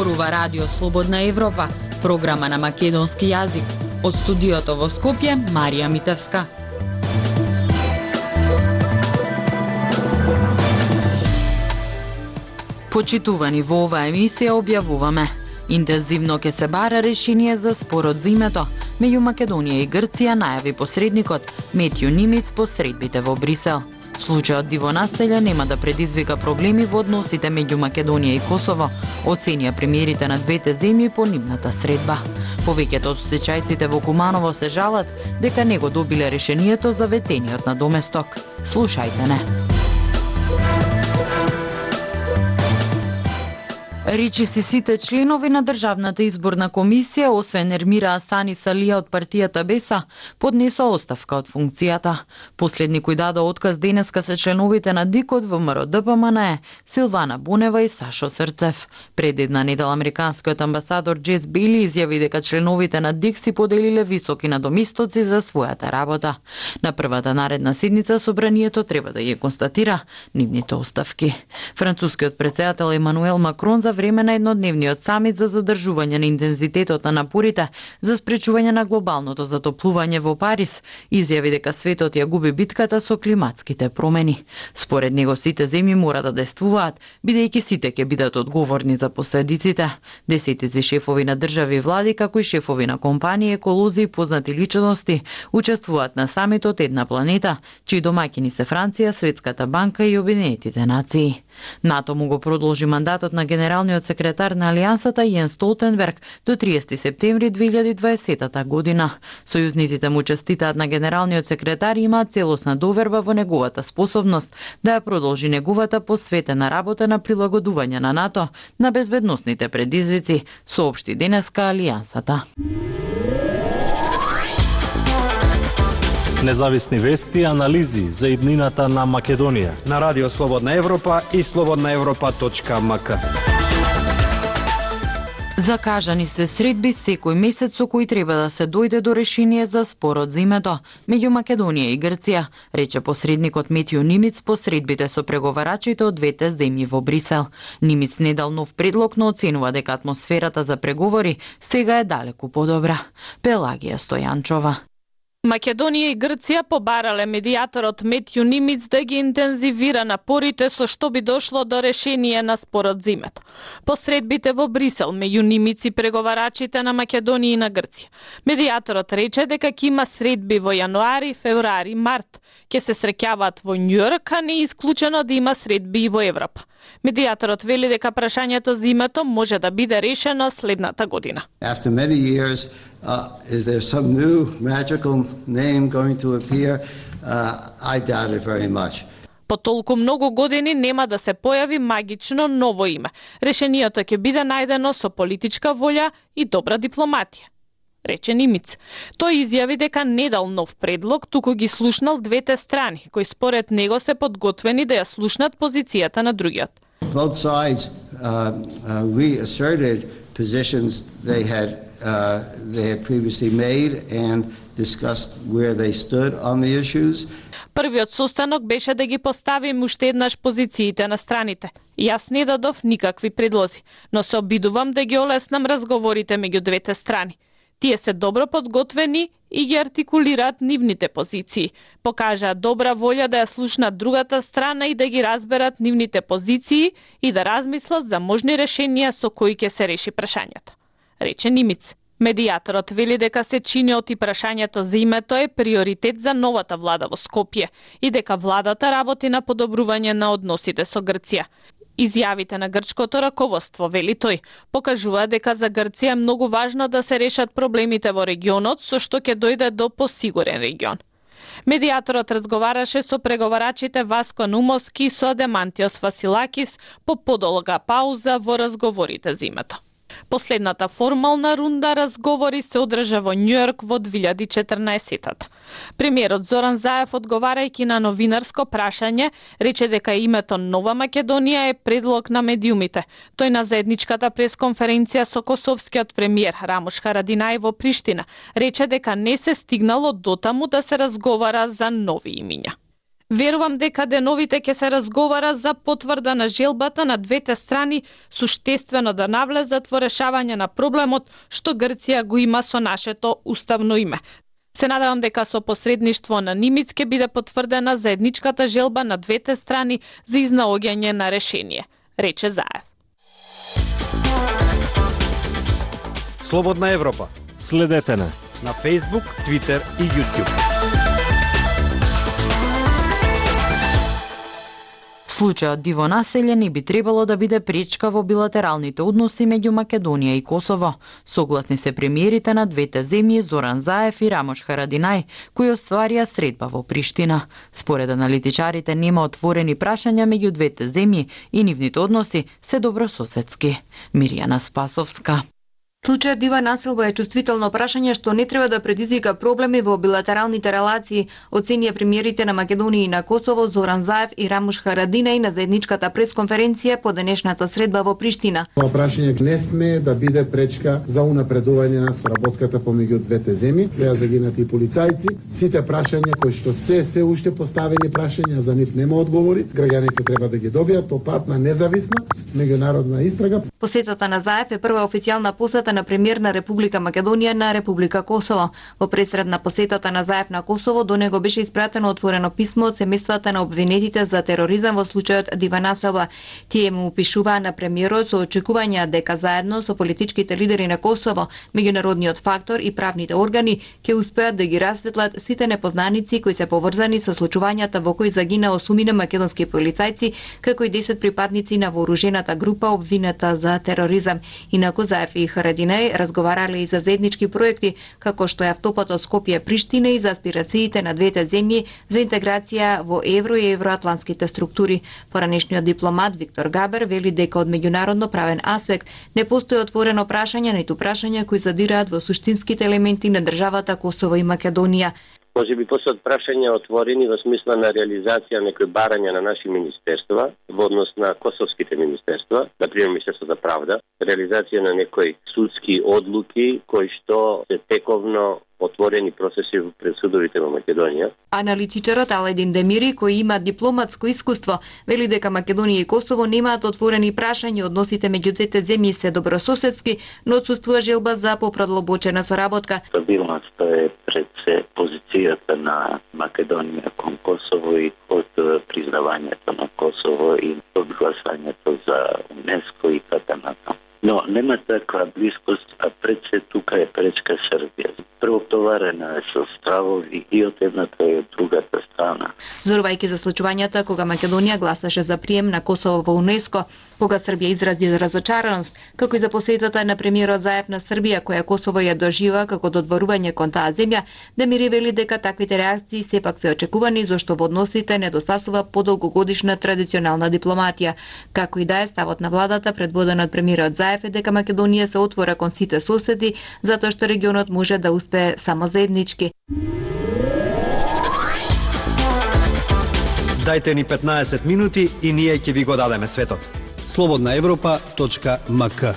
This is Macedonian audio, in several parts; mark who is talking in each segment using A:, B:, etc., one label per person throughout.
A: Зборува Радио Слободна Европа, програма на македонски јазик. Од студиото во Скопје, Марија Митевска. Почитувани, во оваа емисија објавуваме: интензивно ќе се бара решение за спорот за името. Меѓу Македонија и Грција најави посредникот Метју Нимиц по средбите во Брисел. Случајот дивонастелја нема да предизвика проблеми во односите меѓу Македонија и Косово, оценија премиерите на двете земји по нивната средба. Повеќето од стечајците во Куманово се жалат дека не го добиле решението за ветениот на доместок. Слушајте не. Речи си сите членови на Државната изборна комисија, освен Ермира Асани Салија од партијата Беса, поднесо оставка од функцијата. Последни кои даде отказ денеска се членовите на ДИК од ВМРО ДПМНЕ, Силвана Бунева и Сашо Срцев. Пред една недела американскиот амбасадор Джес Бейли изјави дека членовите на ДИК си поделиле високи надомистоци за својата работа. На првата наредна седница собранието треба да ја констатира нивните оставки. Францускиот претседател Емануел Макрон за време на еднодневниот самит за задржување на интензитетот на напорите за спречување на глобалното затоплување во Париз изјави дека светот ја губи битката со климатските промени. Според него сите земји мора да действуваат, бидејќи сите ќе бидат одговорни за последиците. Десетици шефови на држави и влади, како и шефови на компании, еколози и познати личности учествуваат на самитот Една планета, чии домаќини се Франција, Светската банка и Обединетите нации. НАТО му го продолжи мандатот на генералниот секретар на Алијансата Јен Столтенберг до 30 септември 2020 година. Сојузниците му честитаат на генералниот секретар и имаат целосна доверба во неговата способност да ја продолжи неговата посветена работа на прилагодување на НАТО на безбедносните предизвици, соопшти денеска Алијансата.
B: Независни вести и анализи за иднината на Македонија
C: на Радио Слободна Европа и slobodnaevropa.mk.
A: Закажани се средби секој месец со кои треба да се дојде до решение за спорот за името меѓу Македонија и Грција, рече посредникот Метју Нимиц по средбите со преговарачите од двете земји во Брисел. Нимиц не дал нов предлог, но оценува дека атмосферата за преговори сега е далеку подобра. Пелагија Стојанчова.
D: Македонија и Грција побарале медијаторот Метју Нимиц да ги интензивира напорите со што би дошло до решение на спорот за името. Посредбите во Брисел меѓу Нимиц и преговарачите на Македонија и на Грција. Медијаторот рече дека ќе има средби во јануари, февруари, март. Ќе се среќаваат во Њујорк, а не е исклучено да има средби и во Европа. Медијаторот вели дека прашањето за името може да биде решено следната година.
E: After many years, is there some new magical name going to appear? I doubt it very much.
D: По толку многу години нема да се појави магично ново име. Решението ќе биде најдено со политичка волја и добра дипломатија, рече Нимиц. Тој изјави дека не дал нов предлог, туку ги слушнал двете страни, кои според него се подготвени да ја слушнат позицијата на другиот.
E: Both sides reasserted positions they had previously made and discussed where they stood on the issues.
D: Првиот состанок беше да ги поставим уште еднаш позициите на страните. Јас не дадов никакви предлози, но се обидувам да ги олеснам разговорите меѓу двете страни. Тие се добро подготвени и ги артикулираат нивните позиции. Покажаат добра волја да ја слушнат другата страна и да ги разберат нивните позиции и да размислат за можни решенија со кои ќе се реши прашањето, рече Нимиц. Медијаторот вели дека се чиниот и прашањето за името е приоритет за новата влада во Скопје и дека владата работи на подобрување на односите со Грција. Изјавите на грчкото раководство, вели тој, покажува дека за Грција е многу важно да се решат проблемите во регионот, со што ќе дојде до посигурен регион. Медијаторот разговараше со преговарачите Васко Нумовски и со Демантиос Василакис по подолга пауза во разговорите за името. Последната формална рунда разговори се одржа во Њујорк во 2014. Премиерот Зоран Заев, одговарајќи на новинарско прашање, рече дека името Нова Македонија е предлог на медиумите. Тој на заедничката пресконференција со косовскиот премиер Рамош Харадинај во Приштина рече дека не се стигнало дотаму да се разговара за нови имиња. Верувам дека деновите ќе се разговара за потврда на желбата на двете страни суштествено да навлезат во решавање на проблемот што Грција го има со нашето уставно име. Се надевам дека со посредништво на Нимиц ќе биде потврдена заедничката желба на двете страни за изнаоѓање на решение, рече Заев.
C: Слободна Европа.
B: Следете не
C: На Facebook, Twitter и YouTube.
A: Случајот диво населје не би требало да биде пречка во билатералните односи меѓу Македонија и Косово. Согласни се премиерите на двете земји Зоран Заев и Рамош Харадинај, кои остварија средба во Приштина. Според аналитичарите нема отворени прашања меѓу двете земји и нивните односи се добрососедски. Миријана Спасовска.
F: Случајот дива населба е чувствително прашање што не треба да предизвика проблеми во билатералните релации, оценија премиерите на Македонија и на Косово Зоран Заев и Рамош Харадинај на заедничката пресконференција по денешната средба во Приштина.
G: Ова прашање не сме да биде пречка за унапредување на соработката помеѓу двете земји. Беа загинати и полицајци. Сите прашања кои што се уште поставени прашања, за нив нема одговори, граѓаните треба да ги добијат по пат на независна меѓународна истрага.
F: Посетата на Заев е прва официјална посета на премиер на Република Македонија на Република Косово. Во пресред на посетата на Заев на Косово, до него беше испратено отворено писмо од семејствата на обвинетите за тероризам во случајот дива населба. Тие му пишуваа на премиерот со очекувања дека заедно со политичките лидери на Косово, меѓународниот фактор и правните органи ќе успеат да ги расветлат сите непознаници кои се поврзани со случувањата во кои загина 8 македонски полицајци, како и 10 припадници на вооружената група обвинета за тероризам. Инаку Заев и Харадинај разговарале и за заеднички проекти, како што е автопатот Скопје-Приштина и за аспирациите на двете земји за интеграција во евро и евроатлантските структури. Поранешниот дипломат Виктор Габер вели дека од меѓународно правен аспект не постои отворено прашање, ниту прашања кои задираат во суштинските елементи на државата Косово и Македонија.
H: Може би постојат прашања отворени во смисла на реализација некои барања на наши министерства во однос на косовските министерства, например Министерство за правда, реализација на некои судски одлуки кои што се тековно отворени процеси пред судовите во Македонија.
F: Аналитичарот Аледин Демири, кој има дипломатско искуство, вели дека Македонија и Косово немаат отворени прашања, односите меѓу двете земји се добрососедски, но отсуствува желба за попродлабочена соработка.
I: Стабилноста е пред се позицијата на Македонија кон Косово и од признавањето на Косово и од гласањето за УНЕСКО и така натаму. Но нема таква близкост, а пред се тука е пречка Србија. Преотоварена е со стравови и од едната и од другата страна.
F: Зборувајќи за случувањата кога Македонија гласаше за прием на Косово во УНЕСКО, кога Србија изрази разочараност, како и за посетата на премиерот Заев на Србија, која Косово ја дожива како додворување кон таа земја, Демири вели дека таквите реакции сепак се очекувани, зашто во односите недостасува подолгогодишна традиционална дипломатија. Како и да е, ставот на владата предводен од премиерот Заев е дека Македонија се отвора кон сите соседи, затоа што регионот може да успее само заеднички.
C: Дајте ни 15 минути и ние ќе ви го дадеме светот. slobodnaevropa.mk.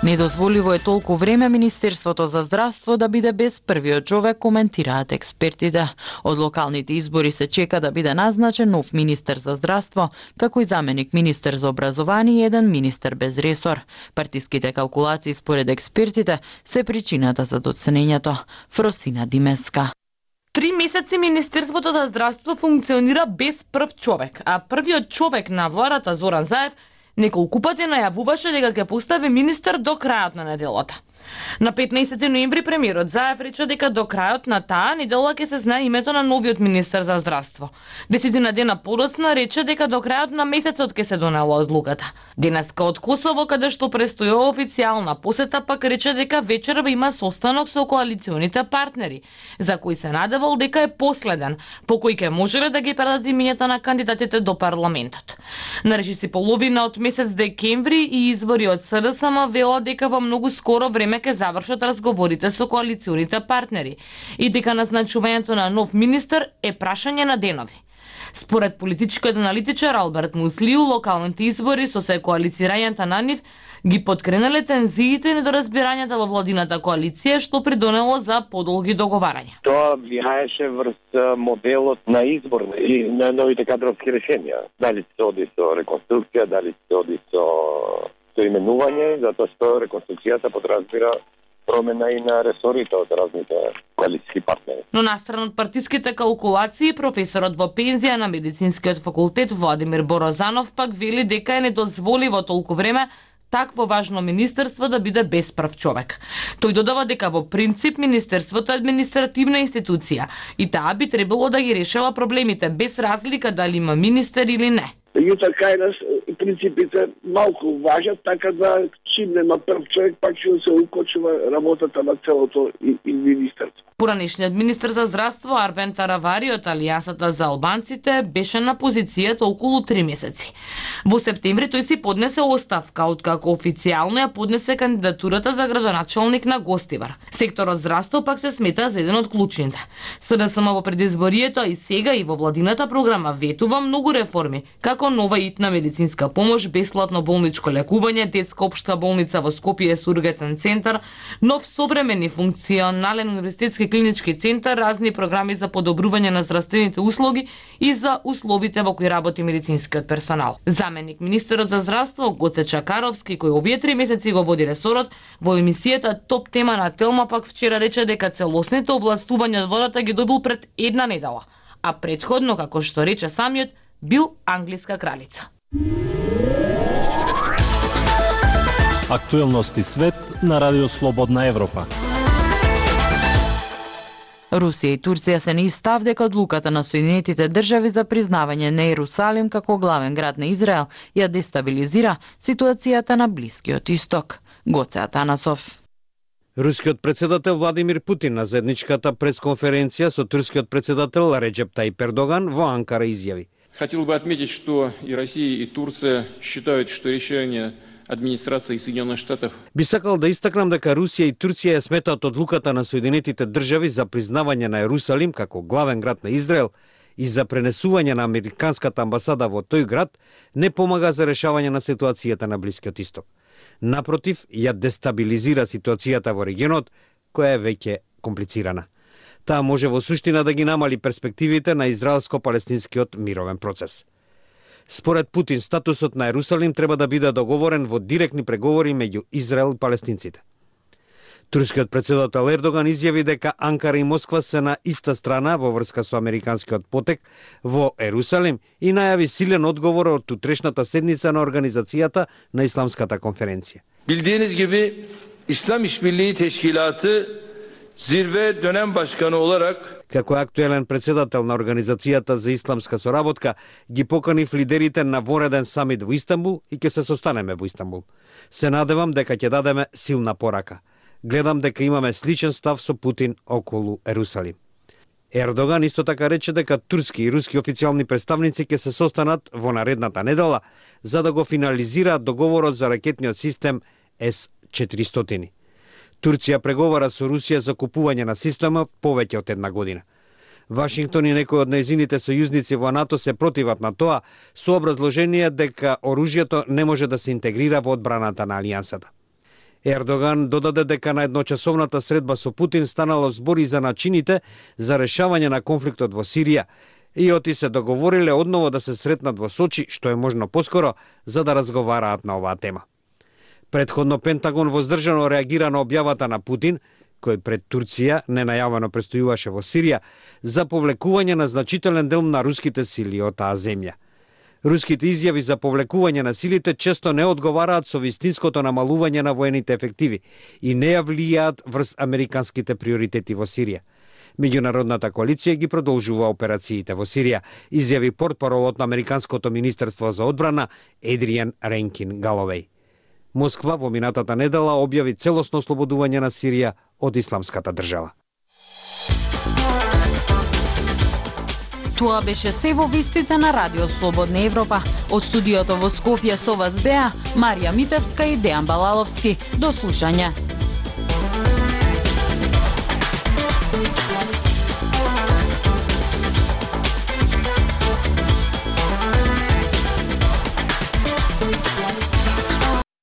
A: Недозволиво е толку време Министерството за здравство да биде без првиот човек, коментираат експертите. Од локалните избори се чека да биде назначен нов министер за здравство, како и заменик министер за образование и еден министер без ресор. Партиските калкулации според експертите се причината за доценењето. Фросина Димеска.
J: 3 месеци Министерството за здравство функционира без прв човек, а првиот човек на владата Зоран Заев неколку пати најавуваше дека ќе постави министер до крајот на неделата. На 15 ноември премиерот Заев рече дека до крајот на таа недела ќе се знае името на новиот министер за здравство. 10 дена подоцна рече дека до крајот на месецот ќе се донела одлуката. Денеска од Косово, каде што престојува официјална посета, пак рече дека вечерва има состанок со коалиционите партнери, за кој се надевал дека е последен, по кој ќе можеле да ги предат имињата на кандидатите до парламентот. На речиси половина од месец декември и извори од СДСМ велат дека во многу скоро време ќе завршат разговорите со коалиционите партнери и дека назначувањето на нов министер е прашање на денови. Според политичкиот аналитичар Алберт Муслиу, локалните избори со се коалицирањата на нив ги подкренале тензиите и недоразбирањата во владината коалиција, што придонело за подолги договарања.
K: Тоа влијаеше врз моделот на избор и на новите кадровски решенија. Дали се оди со реконструкција, дали се оди со именување, затоа што реконструкцијата подразбира промена и на ресорите од разните коалициски партнери.
J: Но настрана од партиските калкулации, професорот во пензија на медицинскиот факултет Владимир Борозанов пак вели дека е недозволиво толку време такво важно министерство да биде без прв човек. Тој додава дека во принцип министерството е административна институција и таа би требало да ги решава проблемите без разлика дали има министер или не.
L: Меѓутоа кај нас принципите малку важат, така да чим нема прв човек, пак ќе се укочува работата на целото и министерство.
J: Поранешниот министер за здравство Арбен Таравари од Алијансата за албанците беше на позицијата околу 3 месеци. Во септември тој си поднесе оставка, откако официјално ја поднесе кандидатурата за градоначалник на Гостивар. Секторот здравство пак се смета за еден од клучните. СДСМ во предизборието и сега и во владината програма ветува многу реформи, како нова итна медицинска помош, бесплатно болничко лекување, детска општа болница во Скопје с ургентен центар, нов современ и функционален универзитетски клинички центар, разни програми за подобрување на здравствените услуги и за условите во кои работи медицинскиот персонал. Заменик министерот за здравство Гоце Чакаровски, кој овие 3 месеци го води ресорот, во емисијата Топ тема на Телма пак вчера рече дека целосните овластувања од владата ги добил пред една недела, а претходно, како што рече самиот, бил англиска кралица.
B: Актуелности свет на Радио Слободна Европа.
A: Русија и Турција се на став дека одлуката на Соединетите држави за признавање на Ерусалим како главен град на Израел ја дестабилизира ситуацијата на Блискиот Исток. Гоце Атанасов.
C: Рускиот председател Владимир Путин на заедничката пресконференција со турскиот председател Реджеп Тајип Ердоган во Анкара изјави:
M: Хотел бы отметить, что и Россия, и Турция считают, что решение администрации Соединенных Штатов.
C: Би сакал да истакнам дека Русија и Турција ја сметаат одлуката на Соединетите држави за признавање на Ерусалим како главен град на Израел и за пренесување на американската амбасада во тој град не помага за решавање на ситуацијата на Блискиот Исток. Напротив, ја дестабилизира ситуацијата во регионот, која е веќе комплицирана. Таа може во суштина да ги намали перспективите на израелско-палестинскиот мировен процес. Според Путин, статусот на Ерусалим треба да биде договорен во директни преговори меѓу Израел и палестинците. Турскиот председател Ердоган изјави дека Анкара и Москва се на иста страна во врска со американскиот потек во Ерусалим и најави силен одговор од утрешната седница на организацијата на Исламската конференција.
N: Bildiğiniz gibi İslam İşbirliği Teşkilatı zirve dönem başkanı olarak
C: Како актуелен председател на Организацијата за исламска соработка, ги поканив лидерите на вореден самит во Истанбул и ќе се состанеме во Истанбул. Се надевам дека ќе дадеме силна порака. Гледам дека имаме сличен став со Путин околу Ерусалим. Ердоган исто така рече дека турски и руски официјални представници ќе се состанат во наредната недела за да го финализираат договорот за ракетниот систем С-400. Турција преговара со Русија за купување на система повеќе од една година. Вашингтон и некои од нејзините сојузници во НАТО се противат на тоа со образложение дека оружјето не може да се интегрира во одбраната на алијансата. Ердоган додаде дека на едночасовната средба со Путин станало збори за начините за решавање на конфликтот во Сирија и оти се договориле одново да се сретнат во Сочи, што е можно поскоро, за да разговараат на оваа тема. Предходно Пентагон воздржано реагира на објавата на Путин, кој пред Турција ненајавено престојуваше во Сирија, за повлекување на значителен дел на руските сили од таа земја. Руските изјави за повлекување на силите често не одговараат со вистинското намалување на воените ефективи и не ја влијаат врз американските приоритети во Сирија. Меѓународната коалиција ги продолжува операциите во Сирија, изјави портпаролот на Американското министерство за одбрана Едриан Ренкин Галовеј. Москва во минатата недела објави целосно ослободување на Сирија од Исламската држава.
A: Тоа беше се во вестите на Радио Слободна Европа. Од студиото во Скопје со вас беа Марија Митевска и Дејан Балаловски. До слушање.